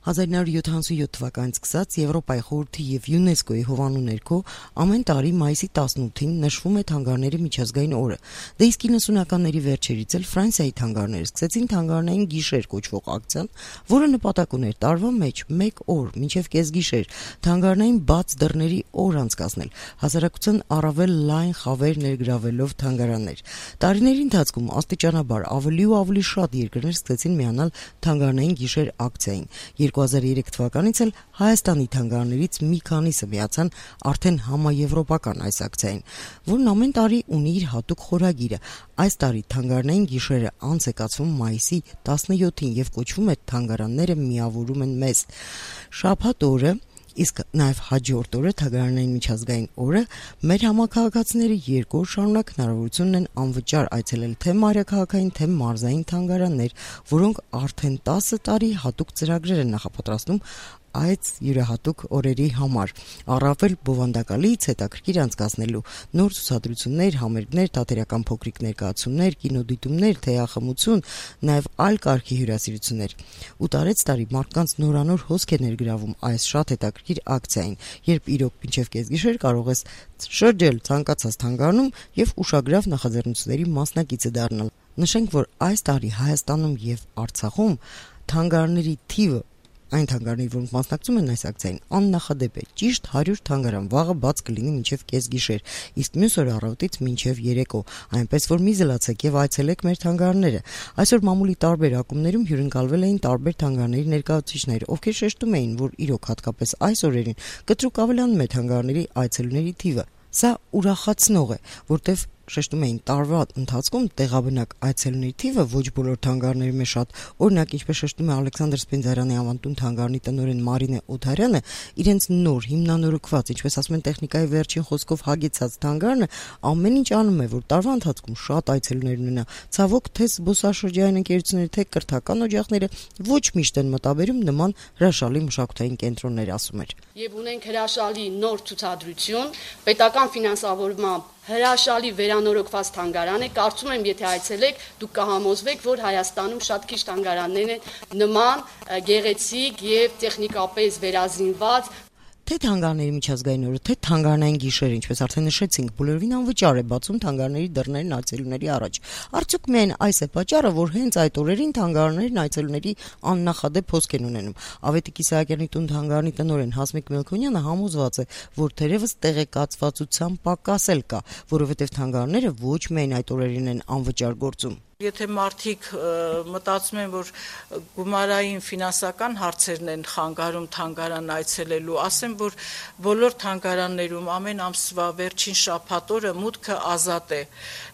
1977 թվականից սկսած Եվրոպայի խորհրդի և ՅՈՒՆԵՍԿՕ-ի հովանու ներքո ամեն տարի մայիսի 18-ին նշվում է թանգարների միջազգային օրը։ Դե իսկ 90-ականների վերջերից էլ Ֆրանսիայի թանգարները սկսեցին թանգարանային գիշեր կոչվող ակցիան, որը նպատակ ուներ տարվա մեջ 1 օր մինչև կեսգիշեր թանգարանային բաց դռների օր անցկացնել, հասարակության առավել լայն խավեր ներգրավելով թանգարաններ։ Տարիների ընթացքում աստիճանաբար ավելի ու ավելի շատ երկրներ սկսեցին միանալ թանգարանային գիշեր ակցիային։ 2003 թվականից էլ Հայաստանի թանգարաններից մի քանիսը միացան արդեն համաեվրոպական այս ակցիային, որն ամեն տարի ունի իր հատուկ խորագիրը։ Այս տարի թանգարանային գիշերը անց է կացվում մայիսի 17-ին եւ կոչվում է «Թանգարանները միավորում են մեզ»։ Շաբաթ օրը, իսկ նաև հաջորդ օրը թանգարանային միջազգային օրը մեր համակարգացիները 2 օր շարունակ հնարավորություն ունեն անվճար այցելել թե մայրաքաղաքային, թե մարզային թանգարաններ, որոնք արդեն 10 տարի հատուկ ծրագրեր են նախապատրաստում այդ յուրահատուկ օրերի համար, առավել բովանդակալից հետաքրքիր անցկացնելու նոր ցուցադրություններ, համերգներ, թատերական փոքրիկ ներկայացումներ, կինոդիտումներ, թեյախմություն, նաև այլ կարգի հյուրասիրություններ։ Ու տարեցտարի մարդկանց նորանոր հոսք է ներգրավում այս շատ հետաքրքիր ակցիային, երբ իրոք մինչև կեսգիշեր կարող ես շրջել ցանկացած թանգարանում եւ ուշագրավ նախաձեռնությունների մասնակիցը դառնալ։ Նշենք, որ այս տարի Հայաստանում եւ Արցախում թանգարանների թիվը այն թանգարանների, որոնք մասնակցում են այս ակցիային, աննախադեպ է։ Ճիշտ 100 թանգարան վաղը բաց կլինի մինչև կեսգիշեր, իսկ մյուս օրը առավոտից մինչև երեկո, այնպես որ մի զլացեք եւ այցելեք մեր թանգարանները։ Այսօր մամուլի տարբեր ակումբներում հյուրընկալվել էին տարբեր թանգարանների ներկայացուցիչներ, ովքեր շեշտում էին, որ իրոք հատկապես այս օրերին կտրուկ ավելանում է թանգարանների այցելուների թիվը։ Սա ուրախացնող է, որտեվ շեշտում էին տարվա ընթացքում տեղաբնակ այցելուների թիվը ոչ բոլոր թանգարաններում է շատ։ Օրինակ, ինչպես շեշտում է Ալեքսանդր Սպենդիարյանի ավանդուն թանգարանի տնօրեն Մարինե Օթարյանը, իրենց նոր հիմնանորոգված, ինչպես ասում են, տեխնիկայի վերջին խոսքով հագեցած թանգարանը ամեն ինչ անում է, որ տարվա ընթացքում շատ այցելուներ ունենա։ Ցավոք, թե զբոսաշրջային ընկերությունները, թե կրթական օջախները ոչ միշտ են մտաբերում նման հրաշալի մշակութային կենտրոններ, ասում էր։ Եվ ունենք հրաշալի նոր ցուցադրություն, պետական ֆինանսավորմամբ հրաշալի վերանորոգված թանգարան է, կարծում եմ, եթե այցելեք, դուք կհամոզվեք, որ Հայաստանում շատ քիչ թանգարաններ են նման գեղեցիկ եւ տեխնիկապես վերազինված։ Թե թանգարանների միջազգային օրը, թե թանգարանային գիշերը, ինչպես արդեն նշեցինք, բոլորովին անվճար է բացում թանգարանների դռներն այցելուների առաջ։ Արդյոք միայն այս է պատճառը, որ հենց այդ օրերին թանգարաններն այցելուների աննախադեպ հոսք են ունենում։ Ավետիք Իսահակյանի տուն թանգարանի տնօրեն Հասմիկ Մելքոնյանը համոզված է, որ թերևս տեղեկացվածության պակաս էլ կա, որովհետև թանգարանները ոչ միայն այդ օրերին են անվճար գործում։ Եթե մարդիկ մտածում են, որ գումարային ֆինանսական հարցերն են խանգարում թանգարան այցելելու, ասեմ, որ բոլոր թանգարաններում ամեն ամսվա վերջին շաբաթ օրը մուտքը ազատ է,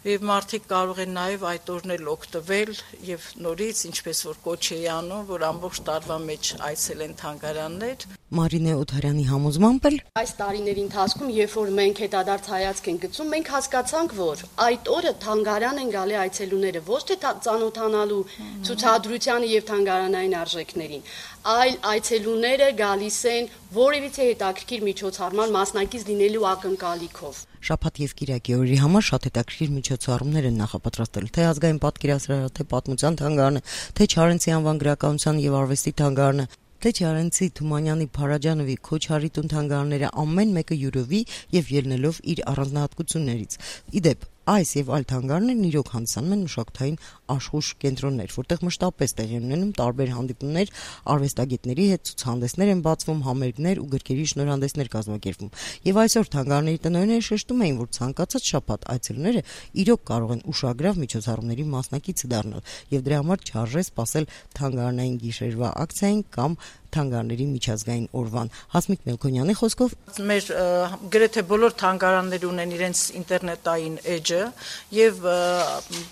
եւ մարդիկ կարող են նաեւ այդ օրն էլ օգտվել եւ նորից, ինչպես որ կոչ է անում, որ ամբողջ տարվա մեջ այցելեն թանգարաններ։ Մարինե Օթարյանի համոզմամբ էլ այս տարիների ընթացքում, երբ որ մենք հետադարձ հայացք ենք գցում, մենք հասկացանք, որ այդ օրը թանգարան են գալի այցելուները ոչ թե ծանոթանալու ցուցադրությանը եւ թանգարանային արժեքներին, այլ այցելուները գալիս են որևիցե հետաքրքիր միջոցառման մասնակից լինելու ակնկալիքով։ Շաբաթ եւ կիրակի օրերի համար շատ հետաքրքիր միջոցառումներ են նախապատրաստել, թե ազգային պատկերասրահը, թե պատմության թանգարանը, թե Չարենցի անվան գրականության եւ արվեստի թանգարանը, թե Չարենցի Թումանյանի Փարաջանովի Քոչարի տուն թանգարանները, ամեն մեկը յուրովի եւ ելնելով իր առանձնահատկություններից։ Իդեպ այս եւ այլ թանգարաններն իրոք հանդիսանում են մշակութային աշխուժ կենտրոններ, որտեղ մշտապես տեղի են ունենում տարբեր հանդիպումներ, արվեստագետների հետ ցուցահանդեսներ են բացվում, համերգներ ու գրքերի շնորհանդեսներ կազմակերպվում։ Եվ այսօր թանգարանների տնօրենները շեշտում էին, որ ցանկացած շաբաթ այցելուները իրոք կարող են ուշագրավ միջոցառումների մասնակիցը դառնալ, եւ դրա համար չարժե սպասել թանգարանային գիշերվա ակցիային կամ թանգարանների միջազգային օրվան։ Հասմիկ Մելքոնյանի խոսքով մեր գրեթե բոլոր թանգարանները ունեն իրենց ինտերնետային էջը եւ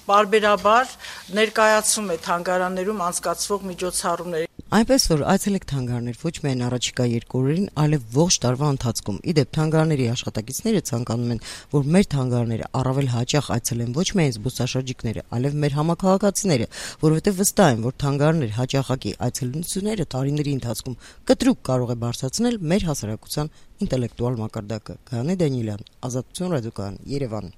բարբերաբար ներկայացում է թանգարաններում անցկացվող միջոցառումները։ Այնպես որ այցելեք թանգարաններ ոչ միայն առաջիկա 2 օրերին, այլև ողջ տարվա ընթացքում։ Իդեպ թանգարանների աշխատակիցները ցանկանում են, որ մեր թանգարանները առավել հաճախ այցելեն ոչ միայն զբոսաշրջիկները, այլև մեր համակարգացիները, որովհետև վստահ են, որ թանգարաններ հաճախակի այցելությունները տարիների ընթացքում կտրուկ կարող է բարձրացնել մեր հասարակության ինտելեկտուալ մակարդակը։ Գայանե Դանիելյան, Ազատություն ռադիոկայան, Երևան։